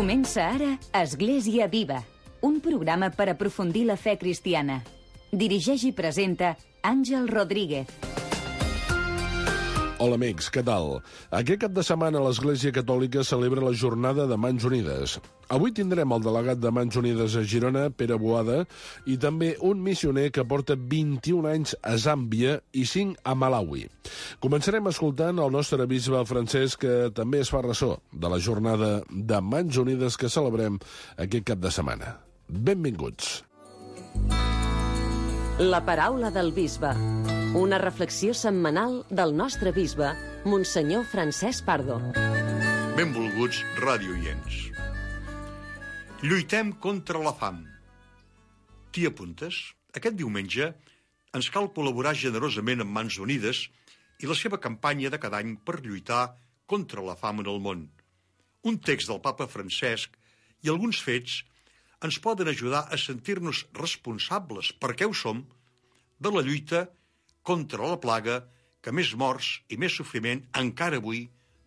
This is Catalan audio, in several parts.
Comença ara Església Viva, un programa per aprofundir la fe cristiana. Dirigeix i presenta Àngel Rodríguez. Hola amics, què tal? Aquest cap de setmana l'Església Catòlica celebra la jornada de Mans Unides. Avui tindrem el delegat de Mans Unides a Girona, Pere Boada, i també un missioner que porta 21 anys a Zàmbia i 5 a Malawi. Començarem escoltant el nostre bisbe Francesc, que també es fa ressò de la jornada de Mans Unides que celebrem aquest cap de setmana. Benvinguts. La paraula del bisbe. Una reflexió setmanal del nostre bisbe, Monsenyor Francesc Pardo. Benvolguts radioients. Lluitem contra la fam. T'hi apuntes? Aquest diumenge ens cal col·laborar generosament amb Mans Unides i la seva campanya de cada any per lluitar contra la fam en el món. Un text del papa Francesc i alguns fets ens poden ajudar a sentir-nos responsables, perquè ho som, de la lluita contra la plaga que més morts i més sofriment encara avui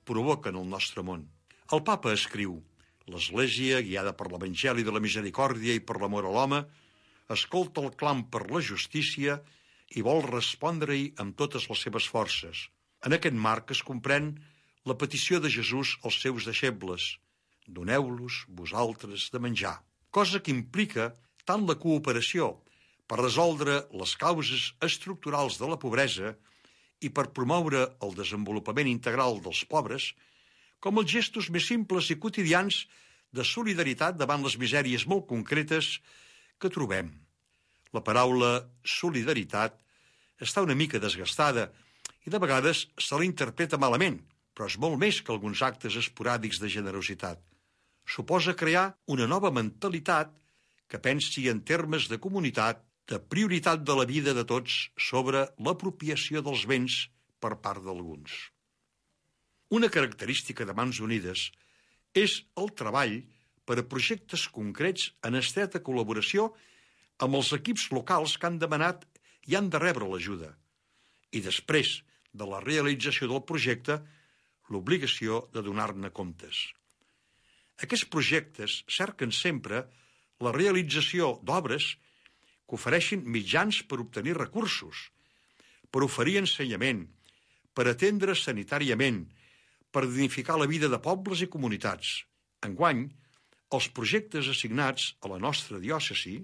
provoquen el nostre món. El papa escriu: l'Església, guiada per l'Evangeli de la misericòrdia i per l'amor a l'home, escolta el clam per la justícia i vol respondre-hi amb totes les seves forces. En aquest marc es comprèn la petició de Jesús als seus deixebles: doneu-los vosaltres de menjar. Cosa que implica tant la cooperació per resoldre les causes estructurals de la pobresa i per promoure el desenvolupament integral dels pobres, com els gestos més simples i quotidians de solidaritat davant les misèries molt concretes que trobem. La paraula solidaritat està una mica desgastada i de vegades se la interpreta malament, però és molt més que alguns actes esporàdics de generositat. Suposa crear una nova mentalitat que pensi en termes de comunitat, de prioritat de la vida de tots sobre l'apropiació dels béns per part d'alguns. Una característica de Mans Unides és el treball per a projectes concrets en estreta col·laboració amb els equips locals que han demanat i han de rebre l'ajuda, i després de la realització del projecte, l'obligació de donar-ne comptes. Aquests projectes cerquen sempre la realització d'obres que ofereixin mitjans per obtenir recursos, per oferir ensenyament, per atendre sanitàriament, per dignificar la vida de pobles i comunitats. Enguany, els projectes assignats a la nostra diòcesi,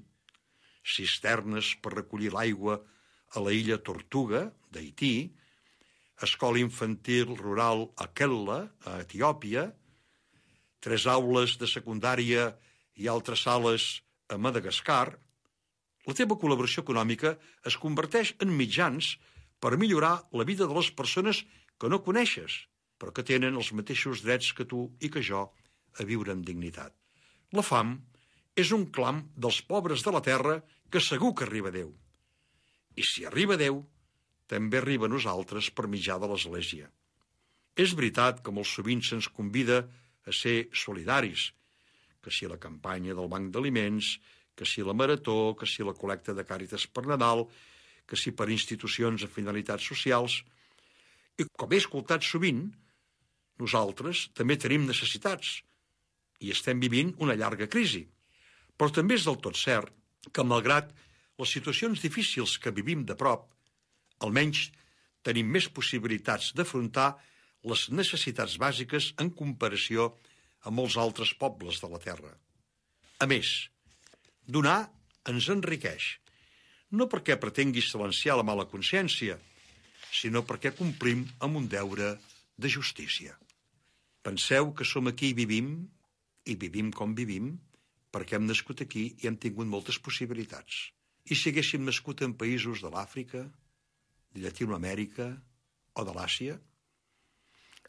cisternes per recollir l'aigua a la illa Tortuga, d'Haití, escola infantil rural a Kella, a Etiòpia, 3 aules de secundària i altres sales a Madagascar, la teva col·laboració econòmica es converteix en mitjans per millorar la vida de les persones que no coneixes, però que tenen els mateixos drets que tu i que jo a viure amb dignitat. La fam és un clam dels pobres de la terra que segur que arriba a Déu. I si arriba a Déu, també arriba a nosaltres per mitjà de l'Església. És veritat que molt sovint se'ns convida a ser solidaris, que si la campanya del banc d'aliments, que si la marató, que si la col·lecta de Càritas per Nadal, que si per institucions a finalitats socials. I com he escoltat sovint, nosaltres també tenim necessitats i estem vivint una llarga crisi. Però també és del tot cert que, malgrat les situacions difícils que vivim de prop, almenys tenim més possibilitats d'afrontar les necessitats bàsiques en comparació amb molts altres pobles de la terra. A més, donar ens enriqueix, no perquè pretengui silenciar la mala consciència, sinó perquè complim amb un deure de justícia. Penseu que som aquí i vivim com vivim, perquè hem nascut aquí i hem tingut moltes possibilitats. I si haguéssim nascut en països de l'Àfrica, de Llatinoamèrica o de l'Àsia?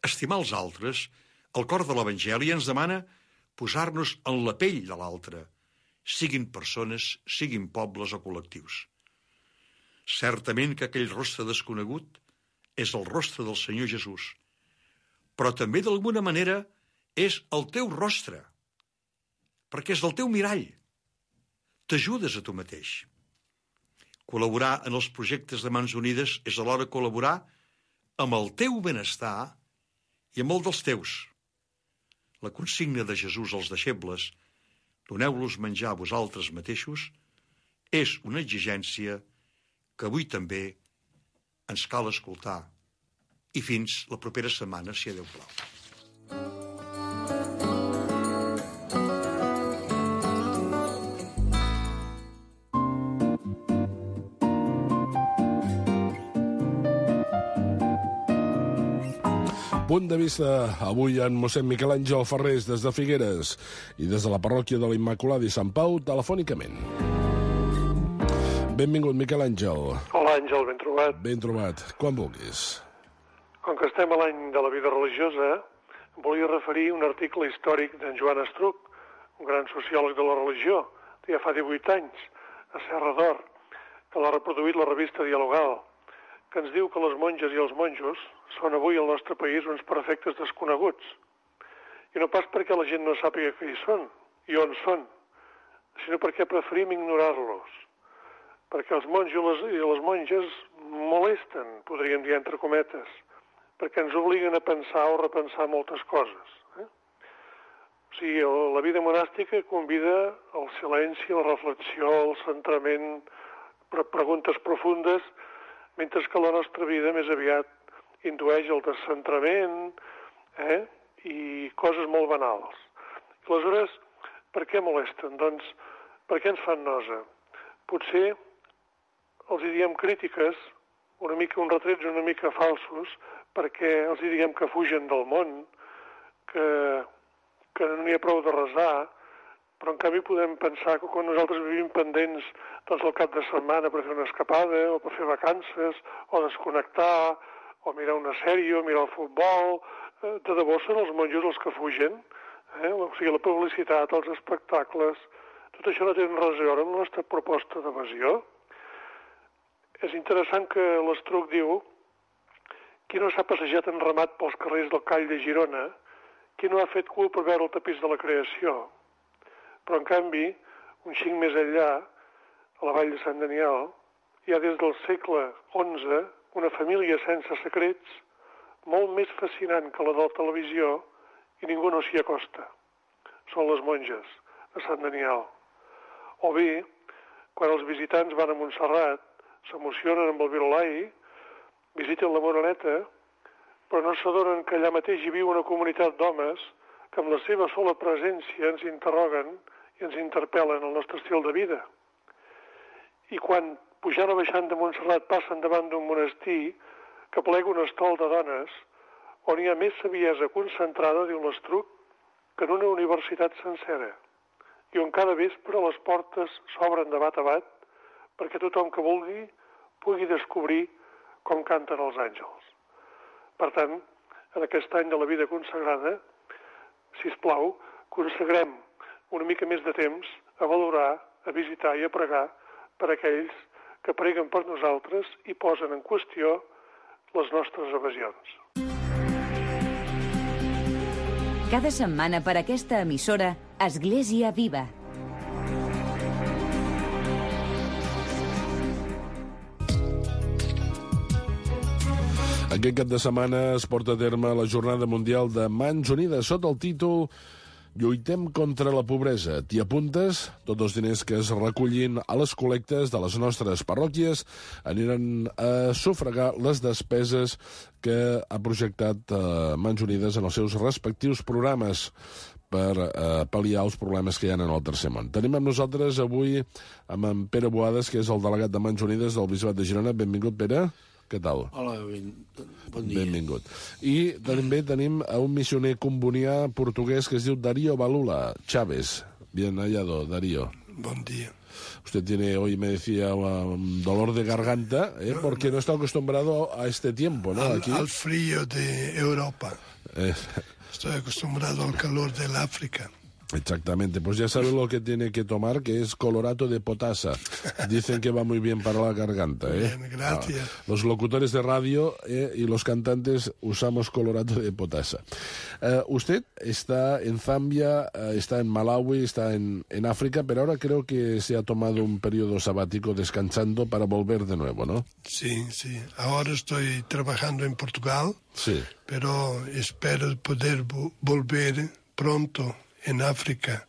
Estimar els altres, el cor de l'Evangeli ens demana posar-nos en la pell de l'altre, siguin persones, siguin pobles o col·lectius. Certament que aquell rostre desconegut és el rostre del Senyor Jesús, però també d'alguna manera és el teu rostre, perquè és el teu mirall. T'ajudes a tu mateix. Col·laborar en els projectes de Mans Unides és alhora col·laborar amb el teu benestar i amb el dels teus. la consigna de Jesús als deixebles, doneu-los menjar a vosaltres mateixos, és una exigència que avui també ens cal escoltar. I fins la propera setmana, si Déu plau. Punt de vista avui en mossèn Miquel Àngel Ferrés des de Figueres i des de la parròquia de la Immaculada i Sant Pau telefònicament. Benvingut, Miquel Àngel. Hola, Àngel, ben trobat. Ben trobat. Quan vulguis. Com que estem a l'any de la vida religiosa, volia referir un article històric d'en Joan Estruc, un gran sociòleg de la religió, que ja fa 18 anys, a Serra d'Or, que l'ha reproduït la revista Dialogal, que ens diu que les monges i els monjos són avui al nostre país uns perfectes desconeguts. I no pas perquè la gent no sàpiga què hi són i on són, sinó perquè preferim ignorar-los. Perquè els monjos i les monges molesten, podríem dir entre cometes, perquè ens obliguen a pensar o repensar moltes coses. O sigui, la vida monàstica convida al silenci, la reflexió, el centrament, preguntes profundes, mentre que la nostra vida més aviat indueix el descentrament i coses molt banals. Aleshores, per què molesten? Doncs, per què ens fan nosa? Potser els hi diem crítiques, uns retrets una mica falsos, perquè els hi diem que fugen del món, que no n'hi ha prou de resar, però en canvi podem pensar que quan nosaltres vivim pendents doncs el cap de setmana per fer una escapada, o per fer vacances, o desconnectar, o mirar una sèrie, o mirar el futbol, de debò són els monjos els que fugen, o sigui, la publicitat, els espectacles, tot això no té res a veure amb la nostra proposta d'evasió. És interessant que l'Estruc diu qui no s'ha passejat enramat pels carrers del Call de Girona, qui no ha fet cul per veure el tapís de la creació. Però, en canvi, un xic més enllà, a la vall de Sant Daniel, hi ha des del segle XI una família sense secrets molt més fascinant que la de la televisió i ningú no s'hi acosta. Són les monges de Sant Daniel. O bé, quan els visitants van a Montserrat, s'emocionen amb el Virolai, visiten la Moreneta, però no s'adonen que allà mateix hi viu una comunitat d'homes que amb la seva sola presència ens interroguen i ens interpel·len el nostre estil de vida. I quan, pujant o baixant de Montserrat, passen davant d'un monestir que plega un estol de dones, on hi ha més saviesa concentrada, diu l'Estruc, que en una universitat sencera, i on cada vespre les portes s'obren de bat a bat perquè tothom que vulgui pugui descobrir com canten els àngels. Per tant, en aquest any de la vida consagrada, sisplau, consagrem una mica més de temps a valorar, a visitar i a pregar per aquells que preguen per nosaltres i posen en qüestió les nostres evasions. Cada setmana per aquesta emissora, Església Viva. Aquest cap de setmana es porta a terme la Jornada Mundial de Mans Unides sota el títol Lluitem contra la pobresa. T'hi apuntes? Tots els diners que es recollin a les col·lectes de les nostres parròquies aniran a sufragar les despeses que ha projectat Mans Unides en els seus respectius programes per pal·liar els problemes que hi ha en el tercer món. Tenim amb nosaltres avui amb en Pere Boades, que és el delegat de Mans Unides del Bisbat de Girona. Benvingut, Pere. Què tal? Hola, bon dia. Benvingut. I també tenim a un missioner combonià portuguès que es diu Darío Balula Chávez. Bien hallado, Darío. Bon día. Usted tiene, hoy me decía, un dolor de garganta, porque no está acostumbrado a este tiempo, ¿no? Aquí. Al frío de Europa. Estoy acostumbrado al calor del África. Exactamente, pues ya sabe lo que tiene que tomar, que es colorato de potasa. Dicen que va muy bien para la garganta. Bien, gracias. Los locutores de radio y los cantantes usamos colorato de potasa. Usted está en Zambia, está en Malawi, está en África, pero ahora creo que se ha tomado un periodo sabático descansando para volver de nuevo, ¿no? Sí, sí. Ahora estoy trabajando en Portugal, sí, pero espero poder volver pronto en África,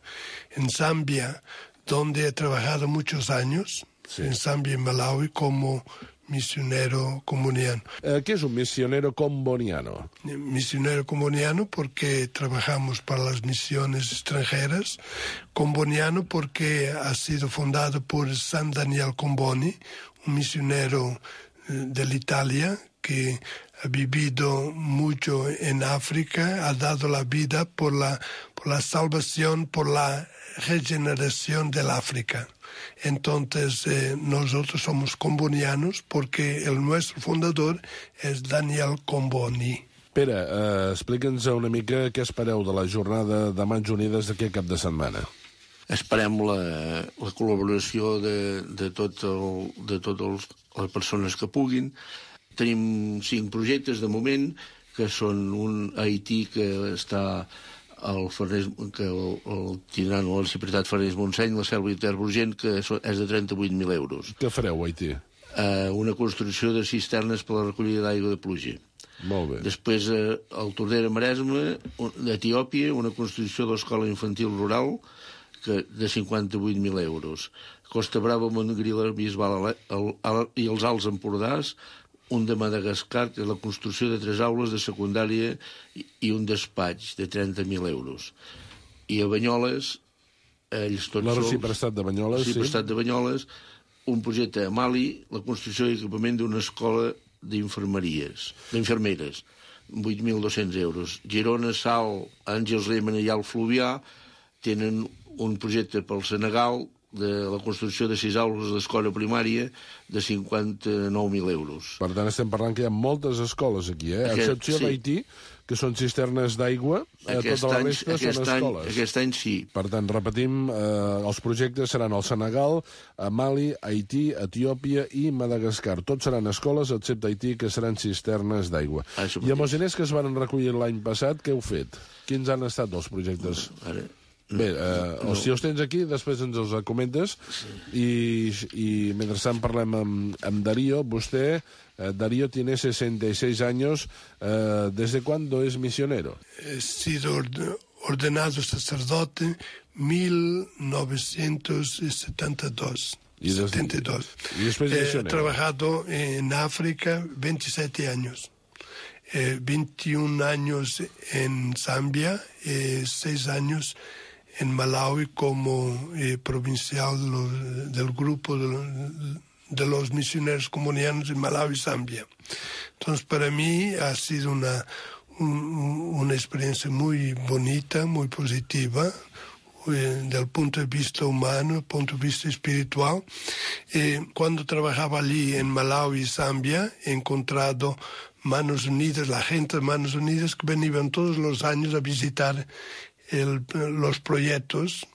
en Zambia, donde he trabajado muchos años, en Zambia y Malawi, como misionero comboniano. ¿Qué es un misionero comboniano? Misionero comboniano porque trabajamos para las misiones extranjeras. Comboniano porque ha sido fundado por San Daniel Comboni, un misionero de Italia que ha vivido mucho en África, ha dado la vida por la salvación, por la regeneración del África. Entonces, nosotros somos combonianos porque nuestro fundador és Daniel Comboni. Pere, explica'ns una mica què espereu de la jornada de Mans Unides d'aquest cap de setmana. Esperem la col·laboració de totes les persones que puguin. Tenim 5 projectes de moment, que són un a Haití que està que el tindran a la Ciutat Farners Montseny, la Selva i Ter Urgent, que és de 38.000 euros. Què fareu a Haití? Una construcció de cisternes per a la recollida d'aigua de pluja. Molt bé. Després, al Tordera Maresme, d'Etiòpia, una construcció de l'escola infantil rural de 58.000 euros. Costa Brava, Montgrila, Bisbal i els Alts Empordàs, un de Madagascar, que és la construcció de 3 aules de secundària i un despatx de 30.000 euros. I a Banyoles, ells tots sols... La Reciprocitat de Banyoles, sí. La Reciprocitat de Banyoles, un projecte a Mali, la construcció i equipament d'una escola d'infermeres, 8.200 euros. Girona, Sal, Àngels Llémena i Alt Fluvià tenen un projecte pel Senegal de la construcció de 6 aules d'escola primària de 59.000 euros. Per tant, estem parlant que hi ha moltes escoles aquí, a excepció d'Haití, que són cisternes d'aigua, tota la resta són escoles. Aquest any sí. Per tant, repetim, els projectes seran al Senegal, a Mali, Haití, Etiòpia i Madagascar. Tots seran escoles, excepte Haití, que seran cisternes d'aigua. I amb els diners que es van recollir l'any passat, què heu fet? Quins han estat els projectes? Bé, si els tens aquí, després ens els comentes. Y mientras parlem amb Darío, vostè, Darío, tiene 66 años. ¿Desde cuándo es misionero? He sido ordenado sacerdote 1972. ¿Y después He trabajado en África 27 años. 21 años en Zambia, 6 años en Malawi como provincial del grupo de los misioneros combonianos en Malawi y Zambia. Entonces, para mí ha sido una experiencia muy bonita, muy positiva, del punto de vista humano, del punto de vista espiritual. Cuando trabajaba allí en Malawi y Zambia, he encontrado Manos Unidas, la gente de Manos Unidas que venían todos los años a visitar los proyectos,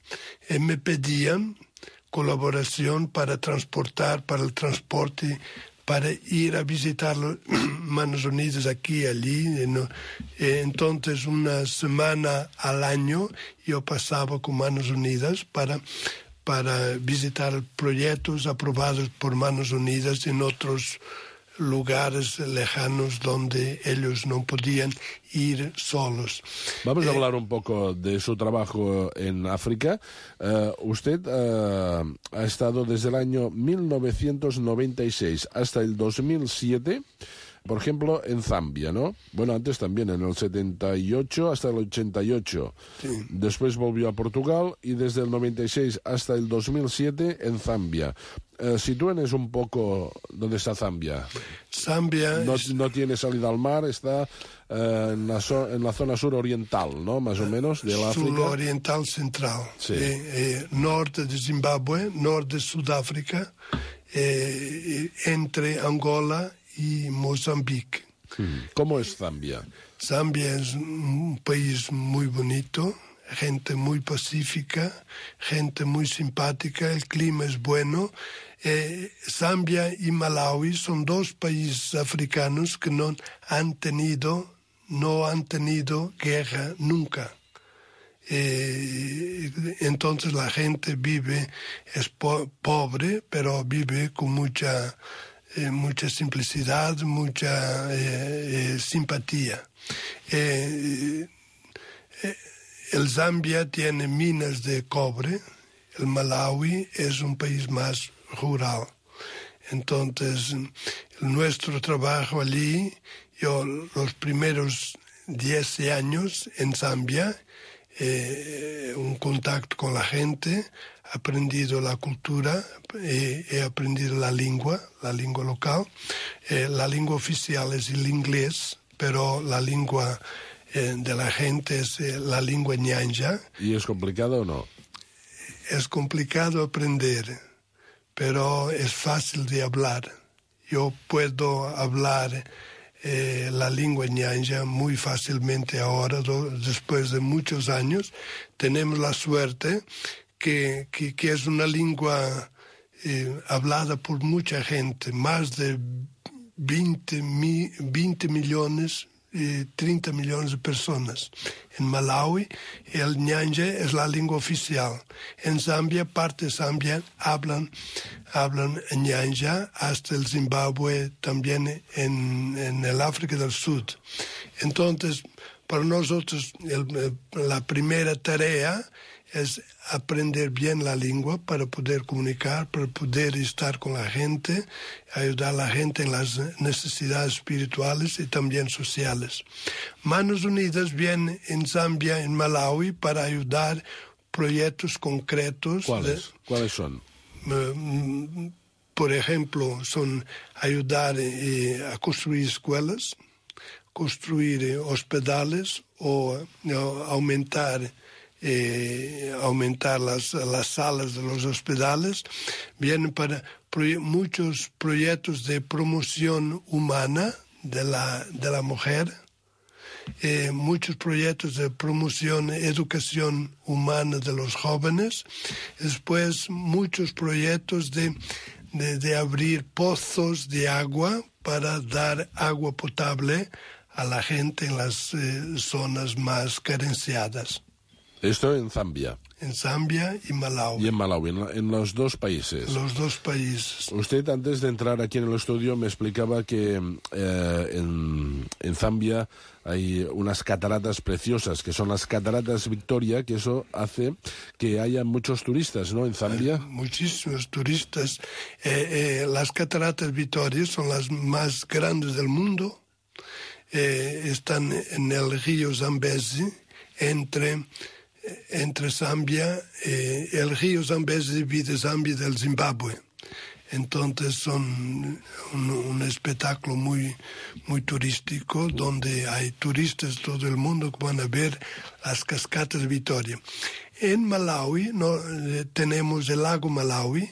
me pedían colaboración para transportar, para el transporte, para ir a visitar Manos Unidas aquí y allí. Entonces, una semana al año yo pasaba con Manos Unidas para visitar proyectos aprobados por Manos Unidas en otros lugares lejanos donde ellos no podían ir solos. Vamos a hablar un poco de su trabajo en África. Usted ha estado desde el año 1996 hasta el 2007, por ejemplo, en Zambia, ¿no? Bueno, antes también, en el 78 hasta el 88. Sí. Después volvió a Portugal y desde el 96 hasta el 2007 en Zambia. Sitúenos un poco dónde está Zambia. Zambia no tiene salida al mar, está en la zona suroriental, ¿no? Más o menos, de la África. Suroriental central. Sí. Norte de Zimbabue, norte de Sudáfrica, entre Angola y Mozambique. ¿Cómo es Zambia? Zambia es un país muy bonito, gente muy pacífica, gente muy simpática, el clima es bueno. Zambia y Malawi son 2 países africanos que no han tenido guerra nunca. Entonces la gente es pobre, pero vive con mucha simplicidad, mucha simpatía. el Zambia tiene minas de cobre, el Malawi es un país más rural. Entonces, nuestro trabajo allí, yo los primeros 10 años en Zambia, un contacto con la gente, he aprendido la cultura, he aprendido la lengua local. La lengua oficial es el inglés, pero la lengua de la gente es la lengua ñanja. ¿Y es complicado o no? Es complicado aprender, pero es fácil de hablar. Yo puedo hablar la lengua ñanja muy fácilmente ahora, después de muchos años. Tenemos la suerte que es una lengua hablada por mucha gente, más de 20 millones, 30 millones de personas. En Malawi el ñanja es la lengua oficial. En Zambia, parte de Zambia hablan ñanja, hasta el Zimbabue, también en el África del Sur. Entonces, para nosotros la primera tarea es aprender bien la lengua para poder comunicar, para poder estar con la gente, ayudar a la gente en las necesidades espirituales y también sociales. Manos Unidas viene en Zambia, en Malawi, para ayudar proyectos concretos. ¿Cuáles son? Por ejemplo, son ayudar a construir escuelas, construir hospitales o aumentar las salas de los hospitales. Vienen para muchos proyectos de promoción humana de la mujer, muchos proyectos de promoción, educación humana de los jóvenes, después muchos proyectos de abrir pozos de agua para dar agua potable a la gente en las zonas más carenciadas. Esto en Zambia. En Zambia y Malawi. Y en Malawi, en los dos países. Los dos países. Usted, antes de entrar aquí en el estudio, me explicaba que en Zambia hay unas cataratas preciosas, que son las cataratas Victoria, que eso hace que haya muchos turistas, ¿no?, en Zambia. Muchísimos turistas. Las cataratas Victoria son las más grandes del mundo. Están en el río Zambezi, entre Zambia, el río Zambezi divide Zambia del Zimbabue. Entonces son un espectáculo muy, muy turístico, donde hay turistas de todo el mundo que van a ver las cascadas de Victoria. En Malawi tenemos el lago Malawi,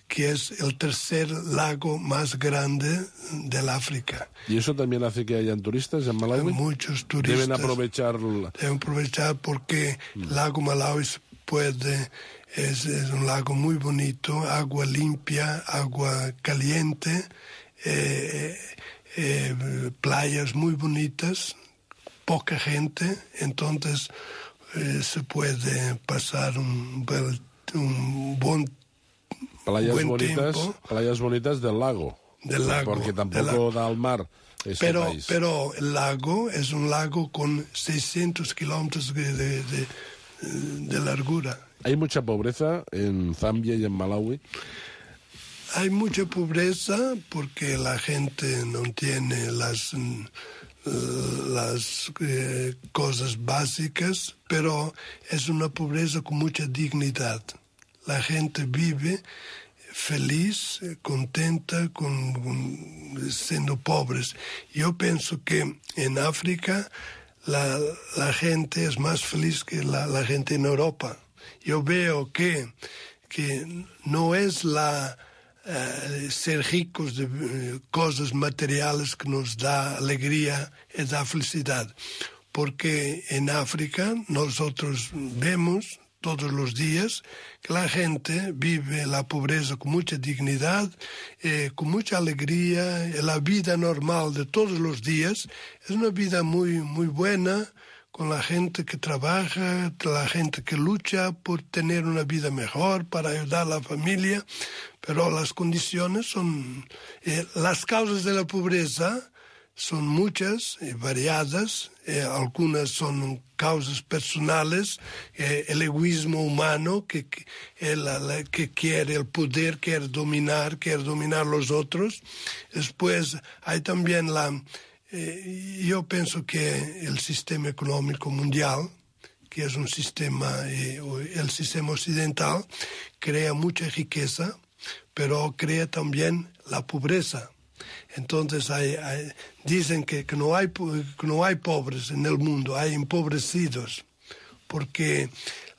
que es el tercer lago más grande del África. ¿Y eso también hace que hayan turistas en Malawi? Hay muchos turistas. Deben aprovechar porque el lago Malawi es un lago muy bonito, agua limpia, agua caliente, playas muy bonitas, poca gente, entonces se puede pasar un buen Playas bonitas del lago. Del lago. Porque tampoco da al mar ese país. Pero el lago es un lago con 600 kilómetros de largura. ¿Hay mucha pobreza en Zambia y en Malawi? Hay mucha pobreza porque la gente no tiene las cosas básicas, pero es una pobreza con mucha dignidad. La gente vive feliz, contenta, siendo pobres. Yo pienso que en África la gente es más feliz que la gente en Europa. Yo veo que no es ser ricos de cosas materiales que nos da alegría y da felicidad. Porque en África nosotros vemos todos los días que la gente vive la pobreza con mucha dignidad, con mucha alegría. La vida normal de todos los días es una vida muy, muy buena, con la gente que trabaja, la gente que lucha por tener una vida mejor, para ayudar a la familia, pero las condiciones son... las causas de la pobreza son muchas y variadas, algunas son causas personales, el egoísmo humano que quiere el poder, quiere dominar los otros. Después hay también yo pienso que el sistema económico mundial, que es un sistema, el sistema occidental, crea mucha riqueza, pero crea también la pobreza. Entonces dicen que no hay pobres en el mundo, hay empobrecidos, porque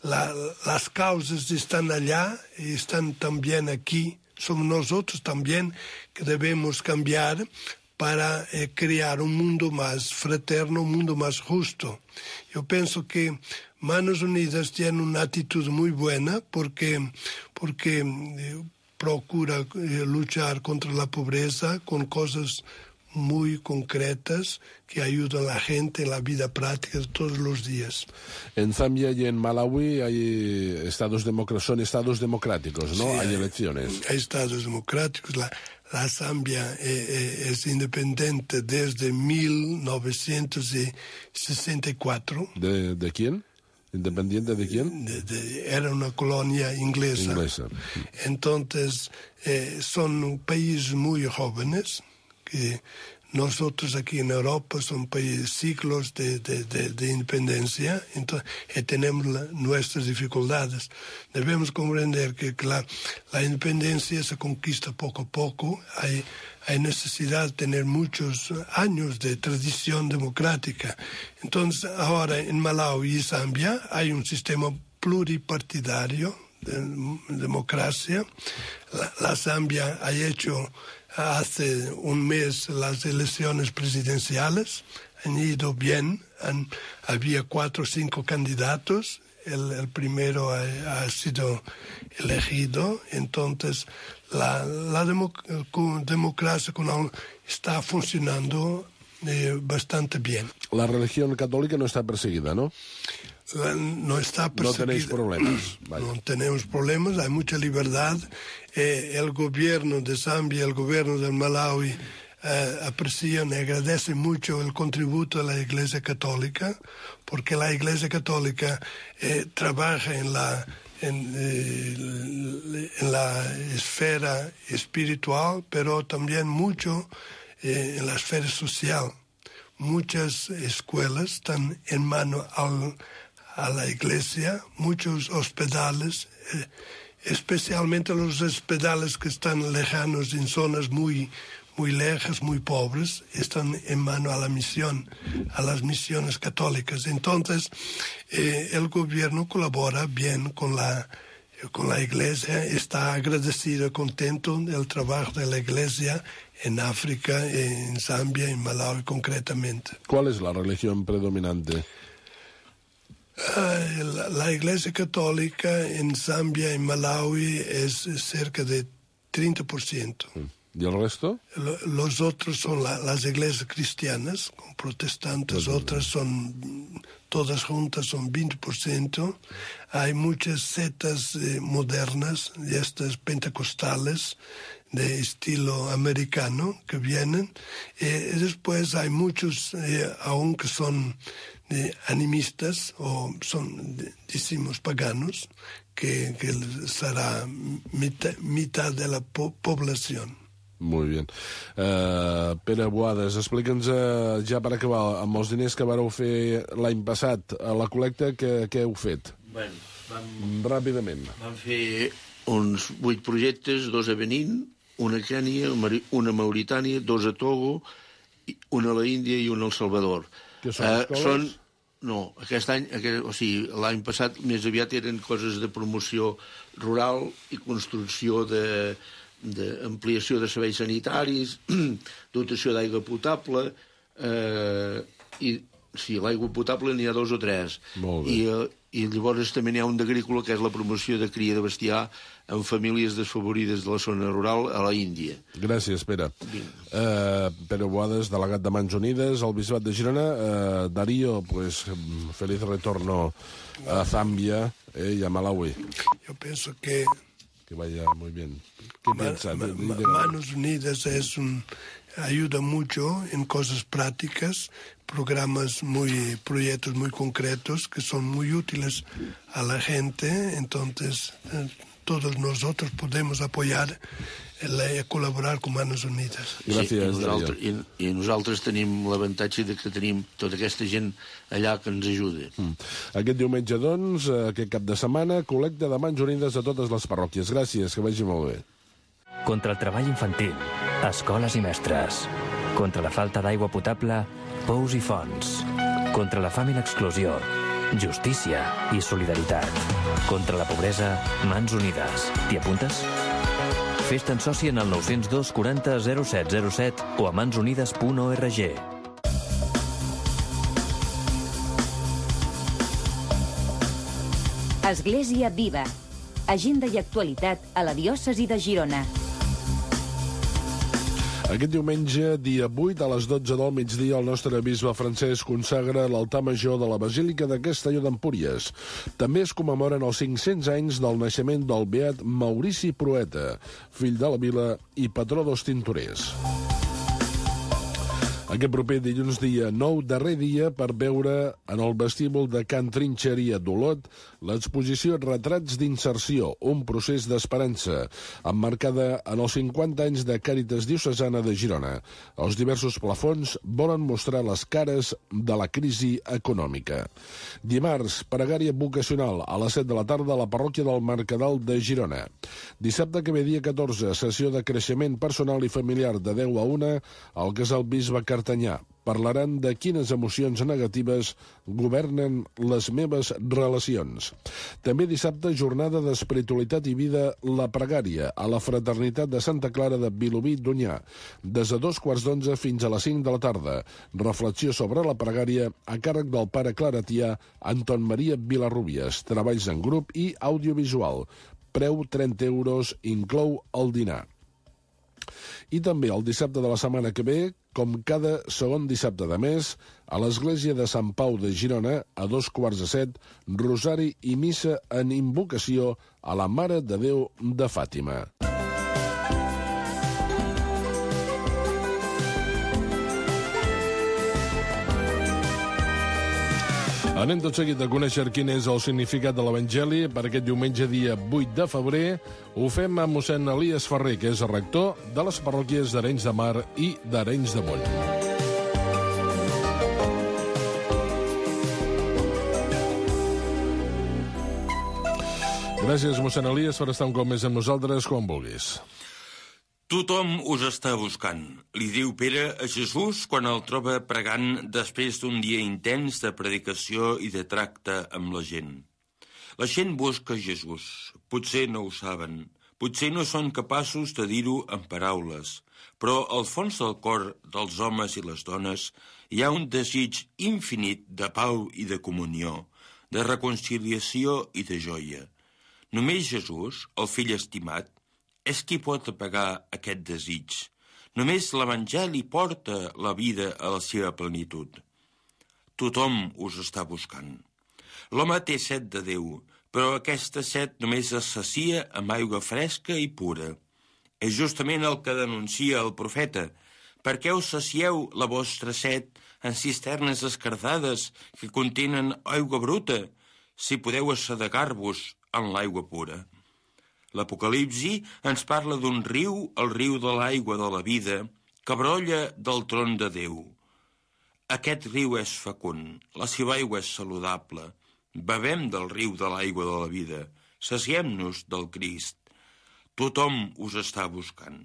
las causas están allá y están también aquí. Somos nosotros también que debemos cambiar para crear un mundo más fraterno, un mundo más justo. Yo pienso que Manos Unidas tiene una actitud muy buena porque procura luchar contra la pobreza con cosas muy concretas que ayudan a la gente en la vida práctica de todos los días. En Zambia y en Malawi hay son estados democráticos, ¿no? Sí, hay elecciones. Hay estados democráticos. La Zambia es independiente desde 1964. ¿De quién? ¿Independiente de quién? Era una colonia inglesa. Entonces, son países muy jóvenes, que nosotros aquí en Europa son siglos de independencia, entonces tenemos nuestras dificultades. Debemos comprender que la independencia se conquista poco a poco. Hay necesidad de tener muchos años de tradición democrática. Entonces, ahora en Malawi y Zambia hay un sistema pluripartidario de democracia. La Zambia ha hecho hace un mes las elecciones presidenciales, han ido bien, había 4 o 5 candidatos, el primero ha sido elegido, entonces la democracia está funcionando bastante bien. La religión católica no está perseguida, ¿no? No está perseguida. No tenéis problemas. Vaya. No tenemos problemas, hay mucha libertad. El gobierno de Zambia, el gobierno de Malawi aprecian y agradecen mucho el contributo de la Iglesia Católica, porque la Iglesia Católica trabaja en la esfera espiritual, pero también mucho en la esfera social. Muchas escuelas están en mano a la Iglesia, muchos hospitales, especialmente los hospitales que están lejanos en zonas muy lejas, muy pobres, están en mano a las misiones católicas. Entonces, el gobierno colabora bien con la Iglesia, está agradecido, contento del trabajo de la Iglesia en África, en Zambia, en Malawi concretamente. ¿Cuál es la religión predominante? La Iglesia Católica en Zambia y Malawi es cerca de 30%. ¿Y el resto? Los otros son las iglesias cristianas, con protestantes, otras son, todas juntas son 20%. Hay muchas sectas modernas, y estas pentecostales, de estilo americano, que vienen. Después hay muchos, aunque son animistas, o son, decimos, paganos, que será mitad de la población. Molt bé. Pere Boades, explica'ns ja per acabar, amb els diners que vareu fer l'any passat a la col·lecta, què heu fet? Bueno, ràpidament. Vam fer uns 8 projectes, 2 a Benín, una a Kènia, una a Mauritània, 2 a Togo, una a la Índia i una al Salvador. Que són escoles? No, aquest any, o sigui, l'any passat més aviat eren coses de promoció rural i construcció d'ampliació de serveis sanitaris, dotació d'aigua potable, i sí, l'aigua potable n'hi ha 2 o 3. Molt bé. I llavors també n'hi ha un d'agrícola, que és la promoció de cria de bestiar en famílies desfavorides de la zona rural a la Índia. Gràcies, Pere. Pere Boades, delegat de Mans Unides al Bisbat de Girona. Darío, pues, feliz retorno a Zambia y a Malawi. Yo pienso que que vaya muy bien. ¿Qué piensa? Manos Unidas ayuda mucho en cosas prácticas, proyectos muy concretos que son muy útiles a la gente. Entonces, todos nosotros podemos apoyar i col·laborar com Manos Unides. Gràcies, Darío. I nosaltres tenim l'avantatge que tenim tota aquesta gent allà que ens ajuda. Aquest diumenge, doncs, aquest cap de setmana, col·lecta de Mans Unides a totes les parròquies. Gràcies, que vagi molt bé. Contra el treball infantil, escoles i mestres. Contra la falta d'aigua potable, pous i fonts. Contra la fam i l'exclusió, justícia i solidaritat. Contra la pobresa, Mans Unides. T'hi apuntes? Fes-te'n soci en el 902 40 0707 o a mansunides.org. Església Viva. Agenda i actualitat a la diòcesi de Girona. Aquest diumenge, dia 8, a les 12 del migdia, el nostre bisbe Francesc consagra l'altar major de la Basílica de Castelló d'Empúries. També es commemoren els 500 anys del naixement del beat Maurici Proeta, fill de la vila i patró dels tintorers. Aquest proper dilluns, dia 9, darrer dia per veure en el vestíbul de Can Trinxeria d'Olot l'exposició Retrats d'inserció, un procés d'esperança, emmarcada en els 50 anys de Càritas Diocesana de Girona. Els diversos plafons volen mostrar les cares de la crisi econòmica. Dimarts, pregària vocacional a les 7 de la tarda a la parròquia del Mercadal de Girona. Dissabte que ve, dia 14, sessió de creixement personal i familiar de 10 a 1 al Casal Bisbe Cartanyà. Parlaran de quines emocions negatives governen les meves relacions. També dissabte, jornada d'espiritualitat i vida, la pregària, a la Fraternitat de Santa Clara de Vilobí d'Onyar, des de 2:15 fins a les 5 de la tarda. Reflexió sobre la pregària a càrrec del pare claretià Anton Maria Vilarrubias. Treballs en grup i audiovisual. Preu 30 euros, inclou el dinar. I també el dissabte de la setmana que ve, com cada segon dissabte de mes, a l'església de Sant Pau de Girona, a 6:45, rosari i missa en invocació a la Mare de Déu de Fàtima. Anem tot seguit a conèixer quin és el significat de l'Evangeli per aquest diumenge, dia 8 de febrer. Ho fem amb mossèn Elies Ferrer, que és rector de les parròquies d'Arenys de Mar i d'Arenys de Munt. Gràcies, mossèn Elies, per estar un cop més amb nosaltres, quan vulguis. Tothom us està buscant, li diu Pere a Jesús quan el troba pregant després d'un dia intens de predicació i de tracte amb la gent. La gent busca Jesús. Potser no ho saben, potser no són capaços de dir-ho en paraules, però al fons del cor dels homes i les dones hi ha un desig infinit de pau i de comunió, de reconciliació i de joia. Només Jesús, el fill estimat, és qui pot apagar aquest desig. Només l'Evangeli porta la vida a la seva plenitud. Tothom us està buscant. L'home té set de Déu, però aquesta set només es sacia amb aigua fresca i pura. És justament el que denuncia el profeta. Per què us sacieu la vostra set en cisternes escardades que contenen aigua bruta, si podeu assedegar-vos en l'aigua pura? L'Apocalipsi ens parla d'un riu, el riu de l'aigua de la vida, que brolla del tron de Déu. Aquest riu és fecund, la seva aigua és saludable. Bevem del riu de l'aigua de la vida, saciem-nos del Crist. Tothom us està buscant.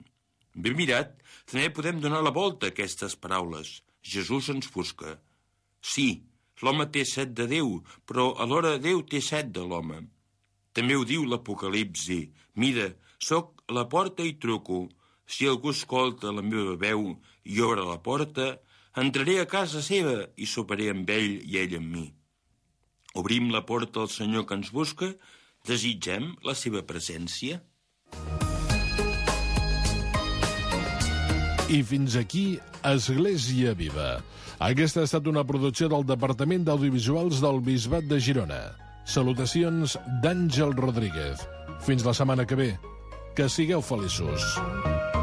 Ben mirat, també podem donar la volta a aquestes paraules. Jesús ens busca. Sí, l'home té set de Déu, però alhora Déu té set de l'home. També ho diu l'Apocalipsi. Mira, soc a la porta i truco. Si algú escolta la meva veu i obre la porta, entraré a casa seva i soparé amb ell i ell amb mi. Obrim la porta al Senyor que ens busca, desitgem la seva presència. I fins aquí, Església Viva. Aquesta ha estat una producció del Departament d'Audiovisuals del Bisbat de Girona. Salutacions d'Àngel Rodríguez. Fins la setmana que ve. Que sigueu feliços.